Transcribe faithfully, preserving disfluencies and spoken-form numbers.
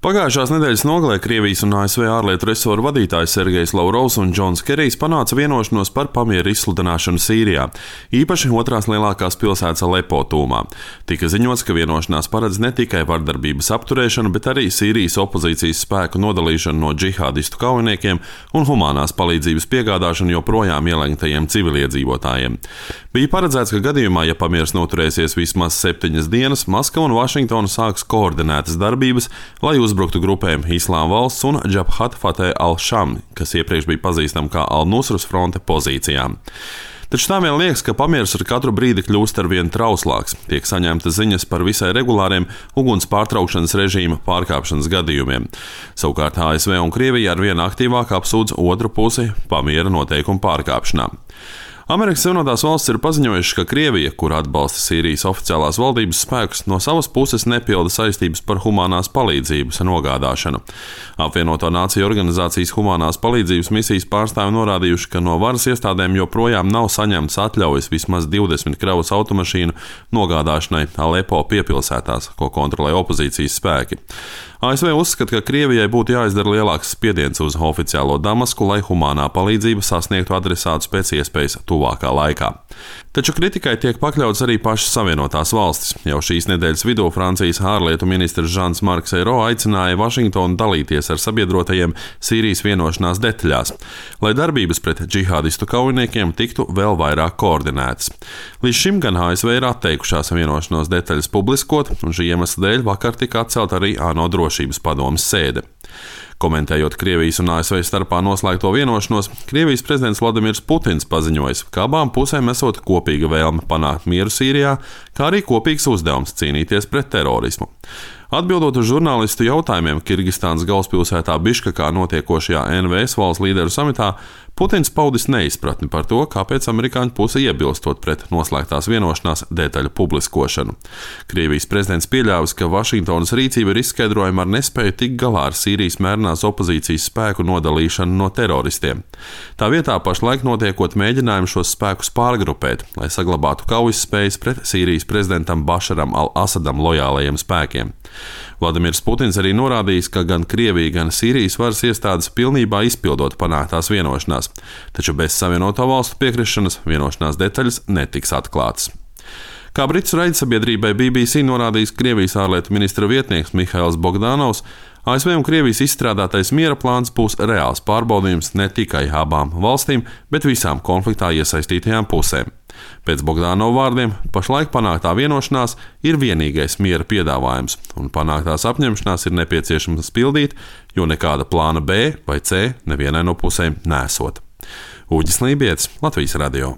Pagājušās nedēļas nogalē Krievijas un A S V ārlietu resoru vadītājs Sergejs Lavrovs un Džons Kerijs panāca vienošanos par pamieru izsludināšanu Sīrijā, īpaši otrās lielākās pilsētas Alepo tūmā. Tika ziņots, ka vienošanās paredz ne tikai vardarbības apturēšanu, bet arī Sīrijas opozīcijas spēku nodalīšanu no džihādistu kaujiniekiem un humānās palīdzības piegādāšanu joprojām ielēgtajiem civiliedzīvotājiem. Bija paredzēts, ka gadījumā, ja pamieris noturēsies vismaz septiņas dienas, Maskava un Vašingtona sāks koordinētas darbības, lai uzbruktu grupēm Islāma valsts un Džabhat Fateh al-Sham, kas iepriekš bija pazīstama kā Al-Nusras fronte pozīcijām. Taču tā vien liekas, ka pamieris ar katru brīdi kļūst ar vien trauslāks. Tiek saņemtas ziņas par visai regulāriem uguns pārtraukšanas režīma pārkāpšanas gadījumiem. Savukārt A S V un Krievija ar vien aktīvāk apsūdz otru pusi pamiera noteikumu pārkāpšanā. Amerikas Savienotās valstis ir paziņojušas, ka Krievija, kur atbalsta Sīrijas oficiālās valdības spēkus, no savas puses nepilda saistības par humanās palīdzības nogādāšanu. Apvienoto Nāciju organizācijas humanās palīdzības misijas pārstāvi norādījuši, ka no varas iestādēm joprojām nav saņemts atļaujas vismaz divdesmit kravas automašīnu nogādāšanai Alepo piepilsētās, ko kontrolē opozīcijas spēki. A S V uzskata, ka Krievijai būtu jāizdara lielāks spiediens uz oficiālo Damasku, lai humanā palīdzība sasniegtu adresātus pēc iespējas tuvākā laikā. Taču kritikai tiek pakļauts arī pašas Savienotās valstis. Jau šīs nedēļas vidū Francijas ārlietu ministrs Žans-Marks Ayrault aicināja Vašingtonu dalīties ar sabiedrotajiem Sīrijas vienošanās detaļās, lai darbības pret džihādistu kaujiniekiem tiktu vēl vairāk koordinētas. Līdz šim gan A S V ir atteikušās vienošanos detaļas publiskot, un šī iemesla dēļ vakar tika atcelt arī ANO drošības padomes sēde. Komentējot Krievijas un A S V starpā noslēgto vienošanos, Krievijas prezidents Vladimirs Putins paziņojis, ka abām pusēm esot kopīga vēlme panākt mieru Sīrijā, kā arī kopīgs uzdevums cīnīties pret terorismu. Atbildot uz žurnālistu jautājumiem Kirgistānas galvaspilsētā Biškekā notiekošajā N V S valsts līderu samitā, Putins paudis neizpratni par to, kāpēc amerikāņu puse iebilstot pret noslēgtās vienošanās detaļu publiskošanu. Krievijas prezidents pieļāvis, ka Vašingtonas rīcība ir izskaidrojama ar nespēju tikt galā ar Sīrijas mērenās opozīcijas spēku nodalīšanu no teroristiem. Tā vietā pašlaik notiekot mēģinājumu šos spēkus pārgrupēt, lai saglabātu kaujas spējas pret Sīrijas prezidentam Bašaram al-Asadam lojālajiem spēkiem. Vladimirs Putins arī norādījis, ka gan Krievija, gan Sīrijas varas iestādes pilnībā izpildot panāktās vienošanās, taču bez Savienoto valstu piekrišanas vienošanās detaļas netiks atklātas. Kā britu raidsabiedrībai B B C norādījis Krievijas ārlietu ministra vietnieks Mihails Bogdanovs, A S V un Krievijas izstrādātais miera plāns būs reāls pārbaudījums ne tikai abām valstīm, bet visām konfliktā iesaistītajām pusēm. Pēc Bogdanova vārdiem, pašlaik panāktā vienošanās ir vienīgais miera piedāvājums, un panāktās apņemšanās ir nepieciešams pildīt, jo nekāda plāna B vai C nevienai no pusēm nesot. Uģis Lībietis, Latvijas radio.